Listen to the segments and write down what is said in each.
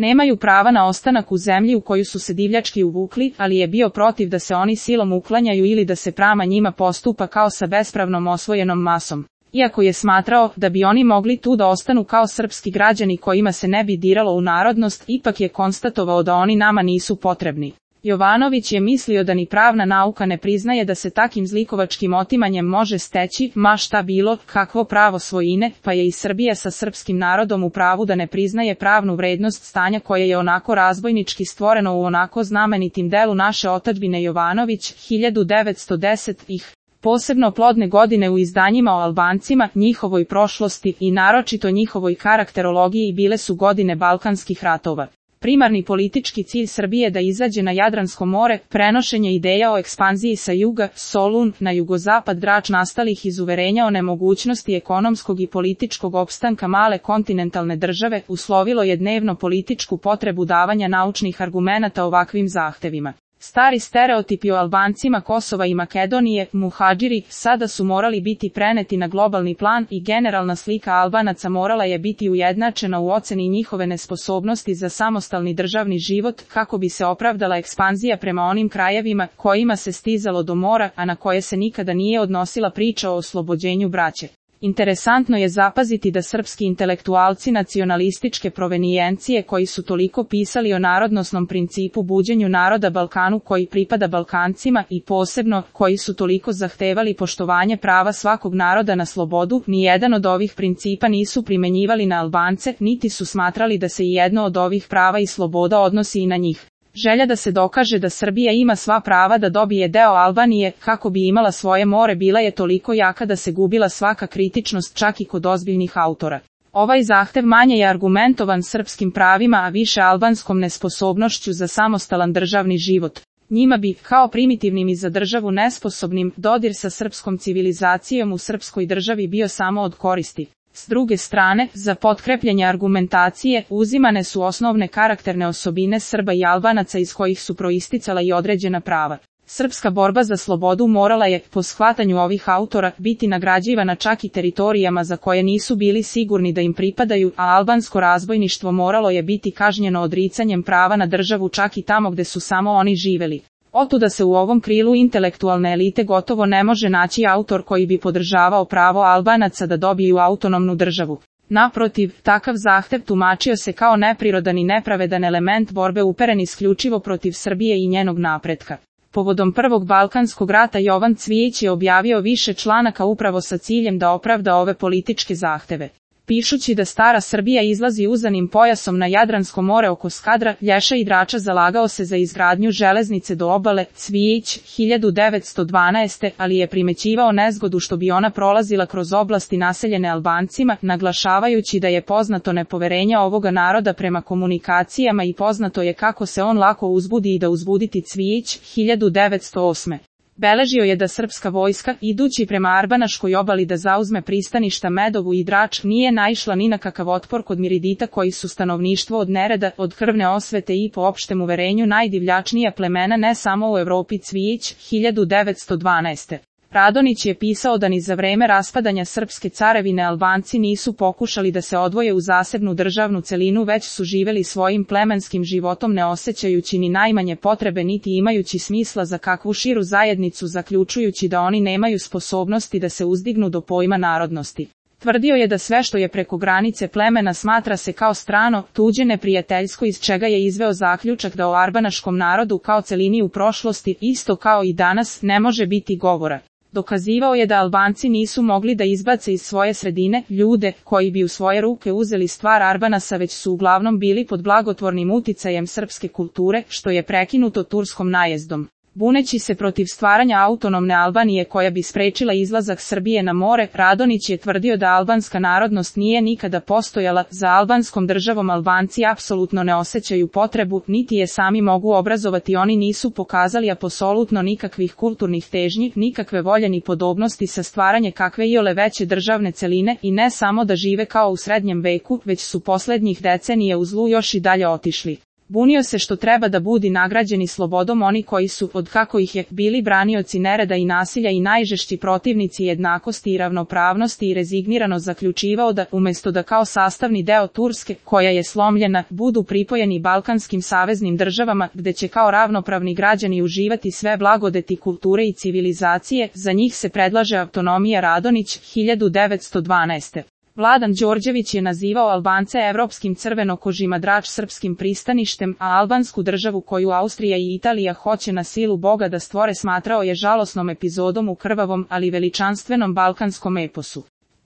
Nemaju prava na ostanak u zemlji u koju su se divljački uvukli, ali je bio protiv da se oni silom uklanjaju ili da se prema njima postupa kao sa bespravnom osvojenom masom. Iako je smatrao da bi oni mogli tu da ostanu kao srpski građani kojima se ne bi diralo u narodnost, ipak je konstatovao da oni nama nisu potrebni. Jovanović je mislio da ni pravna nauka ne priznaje da se takim zlikovačkim otimanjem može steći, ma šta bilo, kakvo pravo svojine, pa je i Srbija sa srpskim narodom u pravu da ne priznaje pravnu vrednost stanja koje je onako razbojnički stvoreno u onako znamenitim delu naše otadžbine. Jovanović, 1910-ih. Posebno plodne godine u izdanjima o Albancima, njihovoj prošlosti i naročito njihovoj karakterologiji bile su godine Balkanskih ratova. Primarni politički cilj Srbije da izađe na Jadransko more, prenošenje ideja o ekspanziji sa juga, Solun, na jugozapad, Drač nastalih iz uverenja o nemogućnosti ekonomskog i političkog opstanka male kontinentalne države, uslovilo je dnevno političku potrebu davanja naučnih argumenata ovakvim zahtevima. Stari stereotipi o Albancima Kosova i Makedonije, muhadžiri, sada su morali biti preneti na globalni plan i generalna slika Albanaca morala je biti ujednačena u oceni njihove nesposobnosti za samostalni državni život, kako bi se opravdala ekspanzija prema onim krajevima kojima se stizalo do mora, a na koje se nikada nije odnosila priča o oslobođenju braće. Interesantno je zapaziti da srpski intelektualci nacionalističke provenijencije koji su toliko pisali o narodnosnom principu buđenju naroda Balkanu koji pripada Balkancima i posebno koji su toliko zahtevali poštovanje prava svakog naroda na slobodu, nijedan od ovih principa nisu primenjivali na Albance, niti su smatrali da se i jedno od ovih prava i sloboda odnosi i na njih. Želja da se dokaže da Srbija ima sva prava da dobije deo Albanije, kako bi imala svoje more, bila je toliko jaka da se gubila svaka kritičnost čak i kod ozbiljnih autora. Ovaj zahtev manje je argumentovan srpskim pravima, a više albanskom nesposobnošću za samostalan državni život. Njima bi, kao primitivnim i za državu nesposobnim, dodir sa srpskom civilizacijom u srpskoj državi bio samo od koristi. S druge strane, za potkrepljenje argumentacije, uzimane su osnovne karakterne osobine Srba i Albanaca iz kojih su proisticala i određena prava. Srpska borba za slobodu morala je, po shvatanju ovih autora, biti nagrađivana čak i teritorijama za koje nisu bili sigurni da im pripadaju, a albansko razbojništvo moralo je biti kažnjeno odricanjem prava na državu čak i tamo gde su samo oni živeli. Otuda se u ovom krilu intelektualne elite gotovo ne može naći autor koji bi podržavao pravo Albanaca da dobiju autonomnu državu. Naprotiv, takav zahtev tumačio se kao neprirodan i nepravedan element borbe uperen isključivo protiv Srbije i njenog napretka. Povodom Prvog Balkanskog rata Jovan Cvijić je objavio više članaka upravo sa ciljem da opravda ove političke zahteve. Pišući da stara Srbija izlazi uzanim pojasom na Jadransko more oko Skadra, Lješa i Drača, zalagao se za izgradnju železnice do obale. Cvijić, 1912, ali je primećivao nezgodu što bi ona prolazila kroz oblasti naseljene Albancima, naglašavajući da je poznato nepoverenje ovoga naroda prema komunikacijama i poznato je kako se on lako uzbudi i da uzbuditi. Cvijić, 1908. Beležio je da srpska vojska, idući prema Arbanaškoj obali da zauzme pristaništa Medovu i Drač, nije naišla ni na kakav otpor kod miridita koji su stanovništvo od nereda, od krvne osvete i po opštem uverenju najdivljačnija plemena ne samo u Evropi. Cvijić, 1912. Radonić je pisao da ni za vreme raspadanja srpske carevine Albanci nisu pokušali da se odvoje u zasebnu državnu celinu, već su živeli svojim plemenskim životom ne osjećajući ni najmanje potrebe niti imajući smisla za kakvu širu zajednicu, zaključujući da oni nemaju sposobnosti da se uzdignu do pojma narodnosti. Tvrdio je da sve što je preko granice plemena smatra se kao strano, tuđe, neprijateljsko, iz čega je izveo zaključak da o arbanaškom narodu kao celini u prošlosti, isto kao i danas, ne može biti govora. Dokazivao je da Albanci nisu mogli da izbace iz svoje sredine ljude koji bi u svoje ruke uzeli stvar Arbanasa, već su uglavnom bili pod blagotvornim uticajem srpske kulture, što je prekinuto turskom najezdom. Buneći se protiv stvaranja autonomne Albanije koja bi sprečila izlazak Srbije na more, Radonić je tvrdio da albanska narodnost nije nikada postojala, za albanskom državom Albanci apsolutno ne osjećaju potrebu, niti je sami mogu obrazovati, oni nisu pokazali apsolutno nikakvih kulturnih težnji, nikakve volje ni podobnosti sa stvaranje kakve iole veće državne celine i ne samo da žive kao u srednjem veku, već su poslednjih decenija u zlu još i dalje otišli. Bunio se što treba da budi nagrađeni slobodom oni koji su, od kako ih je, bili branioci nereda i nasilja i najžešći protivnici jednakosti i ravnopravnosti i rezignirano zaključivao da, umesto da kao sastavni deo Turske, koja je slomljena, budu pripojeni balkanskim saveznim državama, gde će kao ravnopravni građani uživati sve blagodeti kulture i civilizacije, za njih se predlaže autonomija. Radonić, 1912. Vladan Đorđević je nazivao Albance evropskim crvenokožima Drač srpskim pristaništem, a albansku državu koju Austrija i Italija hoće na silu Boga da stvore smatrao je žalosnom epizodom u krvavom, ali veličanstvenom balkanskom eposu.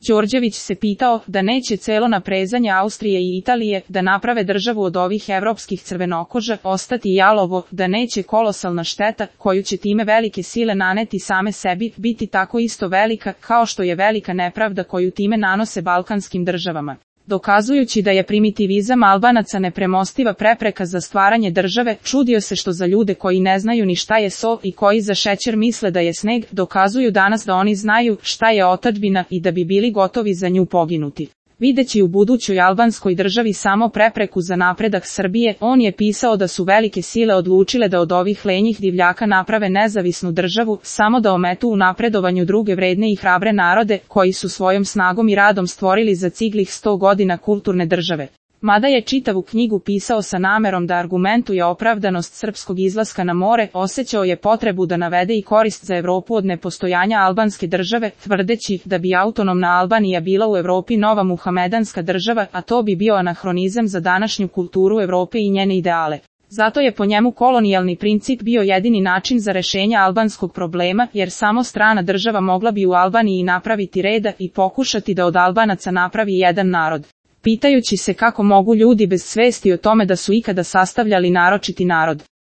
Đorđević se pitao da neće celo naprezanje Austrije i Italije da naprave državu od ovih evropskih crvenokoža ostati jalovo, da neće kolosalna šteta koju će time velike sile naneti same sebi biti tako isto velika kao što je velika nepravda koju time nanose balkanskim državama. Dokazujući da je primitivizam Albanaca nepremostiva prepreka za stvaranje države, čudio se što za ljude koji ne znaju ni šta je so i koji za šećer misle da je sneg, dokazuju danas da oni znaju šta je otadžbina i da bi bili gotovi za nju poginuti. Videći u budućoj albanskoj državi samo prepreku za napredak Srbije, on je pisao da su velike sile odlučile da od ovih lenjih divljaka naprave nezavisnu državu, samo da ometu u napredovanju druge vredne i hrabre narode, koji su svojom snagom i radom stvorili za ciglih 100 godina kulturne države. Mada je čitavu knjigu pisao sa namerom da argumentuje opravdanost srpskog izlaska na more, osjećao je potrebu da navede i korist za Evropu od nepostojanja albanske države, tvrdeći da bi autonomna Albanija bila u Evropi nova muhamedanska država, a to bi bio anahronizam za današnju kulturu Evrope i njene ideale. Zato je po njemu kolonijalni princip bio jedini način za rešenje albanskog problema, jer samo strana država mogla bi u Albaniji napraviti reda i pokušati da od Albanaca napravi jedan narod. Pitajući se kako mogu ljudi bez svesti o tome da su ikada sastavljali naročiti narod.